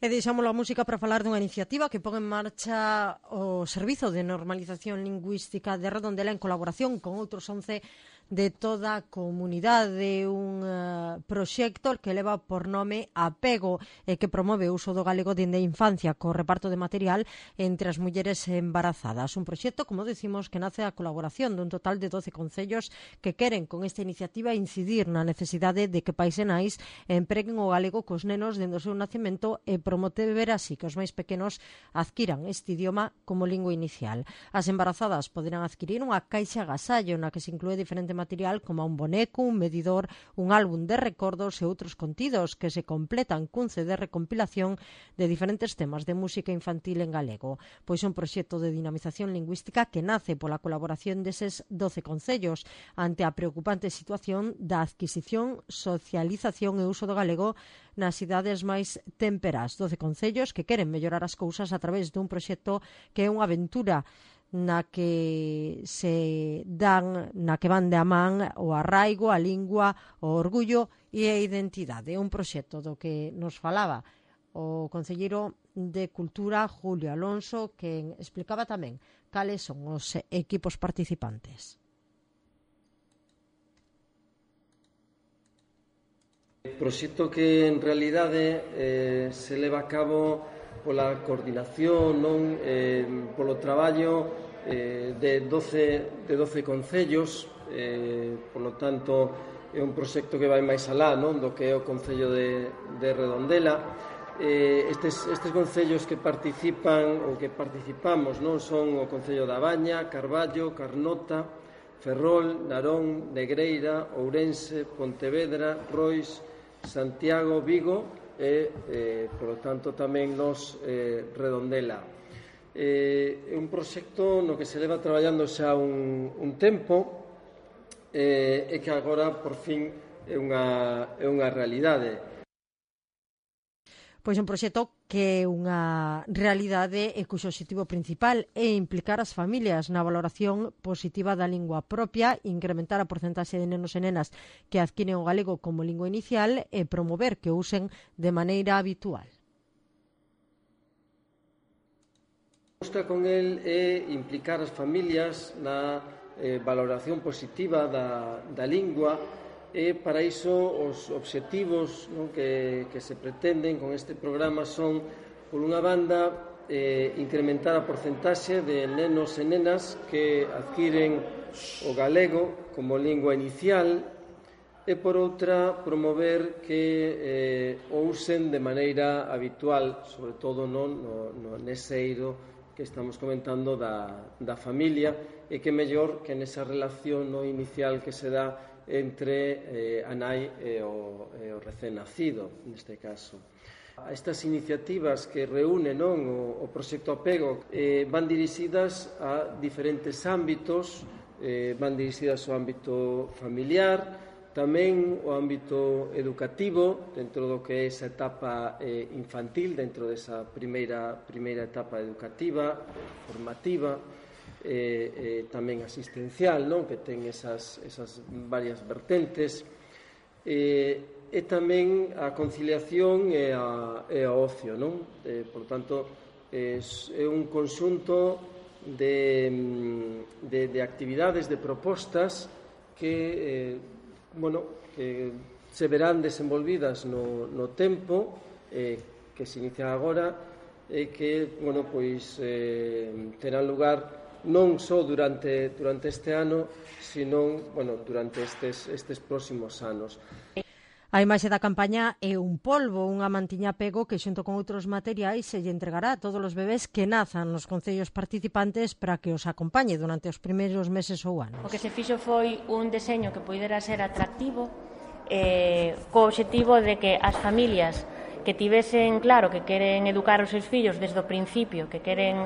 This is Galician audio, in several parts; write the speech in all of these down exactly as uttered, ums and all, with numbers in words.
E deixamos a música para falar dunha iniciativa que pon en marcha o Servizo de Normalización Lingüística de Redondela en colaboración con outros once de toda a comunidade, un uh, proxecto que leva por nome Apego e que promove o uso do galego dende a infancia co reparto de material entre as mulleres embarazadas. Un proxecto, como decimos, que nace a colaboración dun total de doce concellos que queren con esta iniciativa incidir na necesidade de que pais e nais empreguen o galego cos nenos dende o seu nacemento e promover así que os máis pequenos adquiran este idioma como lingua inicial. As embarazadas poderán adquirir unha caixa agasallo na que se inclúe diferente material como un boneco, un medidor, un álbum de recordos e outros contidos que se completan cun C D recompilación de diferentes temas de música infantil en galego. Pois un proxecto de dinamización lingüística que nace pola colaboración deses doce concellos ante a preocupante situación da adquisición, socialización e uso do galego nas cidades máis temperás. doce concellos que queren mellorar as cousas a través dun proxecto que é unha aventura na que se dan, na que van de a man o arraigo, a lingua, o orgullo e a identidade. É un proxecto do que nos falaba o concelleiro de Cultura, Julio Alonso, que explicaba tamén cales son os equipos participantes. O proxecto que en realidade eh, se leva a cabo pola coordinación, non, eh, polo traballo eh, de doce, de doce concellos, eh, polo tanto é un proxecto que vai máis alá, non, do que é o Concello de, de Redondela. Eh, estes, estes concellos que participan ou que participamos non son o Concello da Baña, Carballo, Carnota, Ferrol, Narón, Negreira, Ourense, Pontevedra, Rois, Santiago, Vigo e, eh, polo tanto, tamén nos eh, Redondela. Eh, é un proxecto no que se leva traballando xa un, un tempo eh, e que agora, por fin, é unha, é unha realidade. Pois un proxecto que é unha realidade e cuxo objetivo principal é implicar as familias na valoración positiva da lingua propia, incrementar a porcentaxe de nenos e nenas que adquiren o galego como lingua inicial e promover que o usen de maneira habitual. O que busca con el é implicar as familias na eh, valoración positiva da, da lingua. E para iso os obxectivos, non, que, que se pretenden con este programa son, por unha banda, eh, incrementar a porcentaxe de nenos e nenas que adquiren o galego como lingua inicial e, por outra, promover que eh, o usen de maneira habitual, sobre todo non, no, no nese eido que estamos comentando da, da familia, e que mellor que nesa relación no inicial que se dá entre eh, a nai e o, e o recén nacido, neste caso. Estas iniciativas que reúne, non, o, o proxecto Apego eh, van dirixidas a diferentes ámbitos, eh, van dirixidas ao ámbito familiar, tamén o ámbito educativo, dentro do que é esa etapa eh, infantil, dentro desa primeira, primeira etapa educativa, formativa, Eh, eh, tamén asistencial, non, que ten esas, esas varias vertentes, eh, e tamén a conciliación e a, e a ocio, non? Eh, por tanto, é, é un conxunto de, de, de actividades, de propostas que, eh, bueno, que se verán desenvolvidas no, no tempo, eh, que se inicia agora, e que, bueno, pois, eh, terán lugar non só durante, durante este ano, sino, bueno, durante estes, estes próximos anos. A imaxe da campaña é un polvo, unha mantiña Apego que xunto con outros materiais se lle entregará a todos os bebés que nazan nos concellos participantes para que os acompañe durante os primeiros meses ou anos. O que se fixo foi un deseño que poidera ser atractivo, eh, co obxectivo de que as familias que tivesen claro que queren educar os seus fillos desde o principio, que queren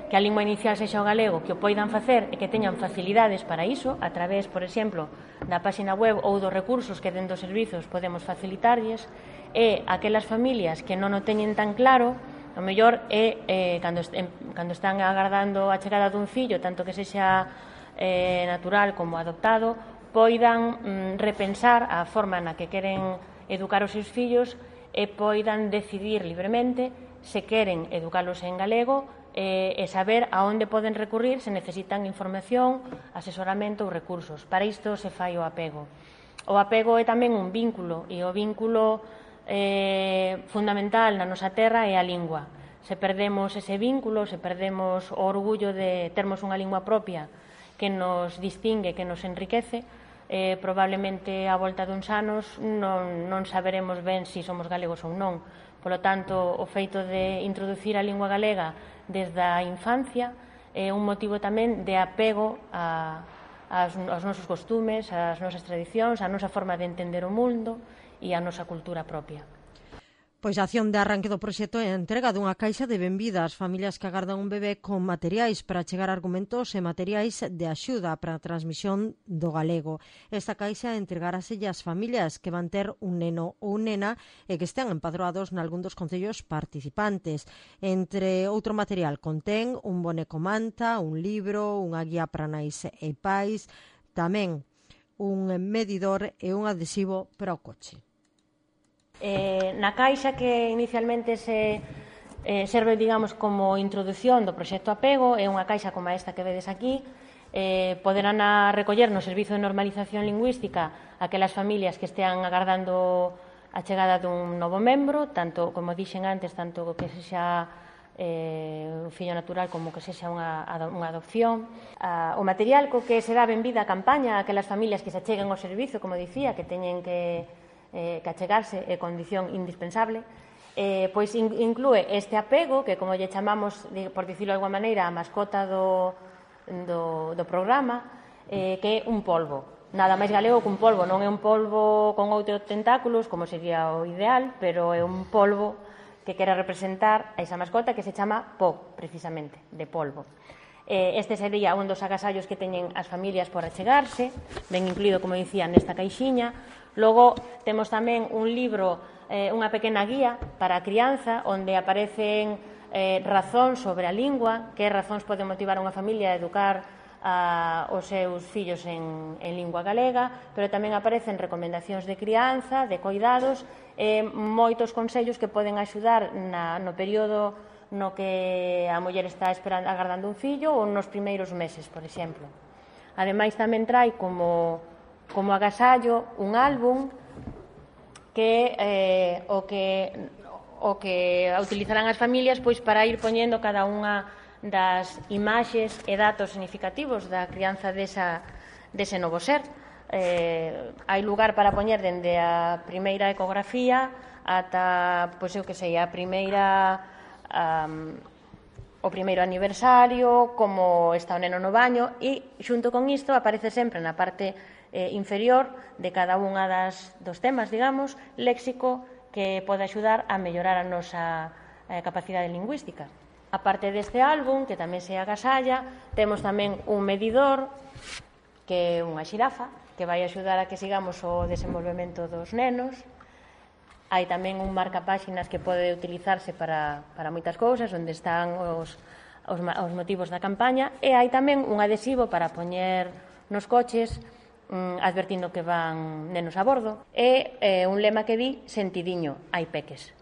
que a lingua inicial sexa o galego, que o poidan facer e que teñan facilidades para iso, a través, por exemplo, da páxina web ou dos recursos que dentro dos servizos podemos facilitarlles, e aquelas familias que non o teñen tan claro, o mellor é eh, cando, est cando están agardando a chegada dun fillo, tanto que sexa eh, natural como adoptado, poidan mm, repensar a forma na que queren educar os seus fillos e poidan decidir libremente se queren educalos en galego eh, e saber a onde poden recurrir se necesitan información, asesoramento ou recursos. Para isto se fai o apego. O apego é tamén un vínculo, e o vínculo eh, fundamental na nosa terra é a lingua. Se perdemos ese vínculo, se perdemos o orgullo de termos unha lingua propia que nos distingue, que nos enriquece, eh, probablemente a volta duns anos non, non saberemos ben se somos galegos ou non. Polo tanto, o feito de introducir a lingua galega desde a infancia é un motivo tamén de apego a, aos, aos nosos costumes, ás nosas tradicións, a nosa forma de entender o mundo e a nosa cultura propia. Pois a acción de arranque do proxecto é a entrega dunha caixa de benvida ás familias que agardan un bebé con materiais para chegar argumentos e materiais de axuda para a transmisión do galego. Esta caixa entregaráselle ás familias que van ter un neno ou nena e que estean empadroados nalgún dos concellos participantes. Entre outro material contén un boneco manta, un libro, unha guía para nais e pais, tamén un medidor e un adhesivo para o coche. Eh, na caixa que inicialmente se eh, serve, digamos, como introdución do proxecto Apego, é unha caixa como esta que vedes aquí, eh, poderán a recoller no Servizo de Normalización Lingüística aquelas familias que estean agardando a chegada dun novo membro, tanto, como dixen antes, tanto que sexa eh, un fillo natural como que sexa unha, unha adopción. Ah, o material co que será benvida a campaña a aquelas familias que se acheguen ao servizo, como dicía, que teñen que Eh, que achegarse é condición indispensable, eh, pois in, inclúe este apego, que como lle chamamos, por dicirlo de alguma maneira, a mascota do, do, do programa, eh, que é un polvo. Nada máis galego que un polvo, non é un polvo con outros tentáculos, como sería o ideal, pero é un polvo que quere representar a esa mascota que se chama Po, precisamente, de polvo. Este sería un dos agasallos que teñen as familias por achegarse, ben incluído, como dicía, nesta caixiña. Logo, temos tamén un libro, eh, unha pequena guía para a crianza, onde aparecen eh, razóns sobre a lingua, que razóns poden motivar a unha familia a educar a, os seus fillos en, en lingua galega, pero tamén aparecen recomendacións de crianza, de coidados, e moitos consellos que poden axudar na, no período no que a muller está esperando, agardando un fillo ou nos primeiros meses, por exemplo. Ademais, tamén trai como, como agasallo un álbum que eh, o que o que utilizarán as familias pois para ir poñendo cada unha das imaxes e datos significativos da crianza desa, dese novo ser. Eh, hai lugar para poñer dende a primeira ecografía ata, pois eu que sei, a primeira Um, o primeiro aniversario, como está o neno no baño, e xunto con isto aparece sempre na parte eh, inferior de cada unha das, dos temas, digamos, léxico que pode axudar a mellorar a nosa eh, capacidade lingüística. A parte deste álbum, que tamén se agasalla, temos tamén un medidor, que é unha xirafa, que vai axudar a que sigamos o desenvolvemento dos nenos. Hai tamén un marcapáxinas que pode utilizarse para, para moitas cousas, onde están os, os, os motivos da campaña, e hai tamén un adhesivo para poñer nos coches mm, advertindo que van nenos a bordo, e eh, un lema que di sentidiño, hai peques.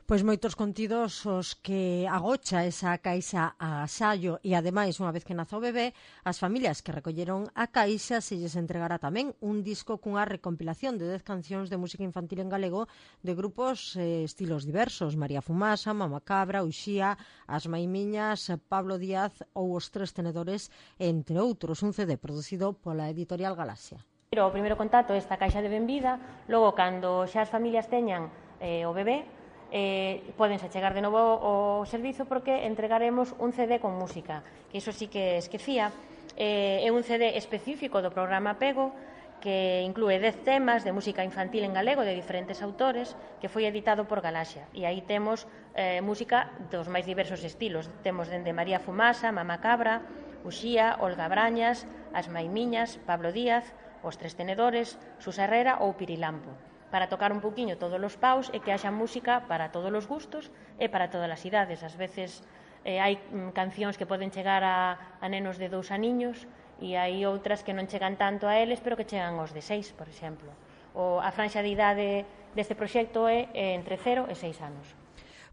Pois moitos contidos os que agocha esa caixa a agasallo e, ademais, unha vez que nace o bebé, as familias que recolleron a caixa se lles entregará tamén un disco cunha recompilación de dez cancións de música infantil en galego de grupos e eh, estilos diversos: María Fumasa, Mama Cabra, Uxía, As Maimiñas, Pablo Díaz ou Os Tres Tenedores, entre outros. Un C D producido pola editorial Galaxia. O primeiro contacto é esta caixa de benvida, logo, cando xa as familias teñan eh, o bebé, Eh, podense chegar de novo ao servizo, porque entregaremos un C D con música, que iso sí que esquecía. Eh, é un C D específico do programa Apego, que inclúe dez temas de música infantil en galego de diferentes autores, que foi editado por Galaxia, e aí temos eh, música dos máis diversos estilos. Temos dende María Fumasa, Mama Cabra, Uxía, Olga Brañas, As Maimiñas, Pablo Díaz, Os Tres Tenedores, Susa Herrera ou Pirilampo, para tocar un poquinho todos os paus e que haxa música para todos os gustos e para todas as idades. Ás veces eh, hai mm, cancións que poden chegar a, a nenos de dous aniños, e hai outras que non chegan tanto a eles, pero que chegan aos de seis, por exemplo. O, a franxa de idade deste proxecto é, é entre cero e seis anos.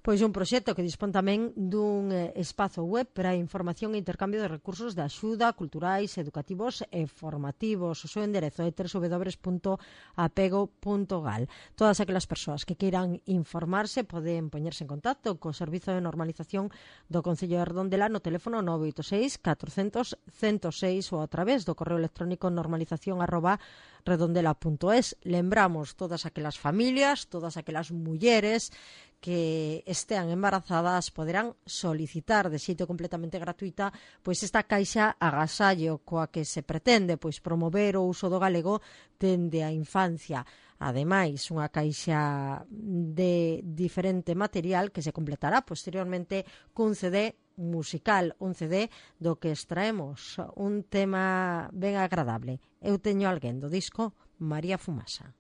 Pois un proxecto que dispón tamén dun eh, espazo web para información e intercambio de recursos de axuda culturais, educativos e formativos. O seu enderezo é w w w punto apego punto gal. Todas aquelas persoas que queiran informarse poden poñerse en contacto co Servizo de Normalización do Concello de Redondela no teléfono nove oito seis catrocentos cento seis ou a través do correo electrónico normalización arroba redondela punto es. Lembramos todas aquelas familias, todas aquelas mulleres que estean embarazadas poderán solicitar de xeito completamente gratuita pois esta caixa agasallo coa que se pretende pois promover o uso do galego dende a infancia. Ademais, unha caixa de diferente material que se completará posteriormente cun C D musical, un C D do que extraemos un tema ben agradable. Eu teño alguén do disco María Fumasa.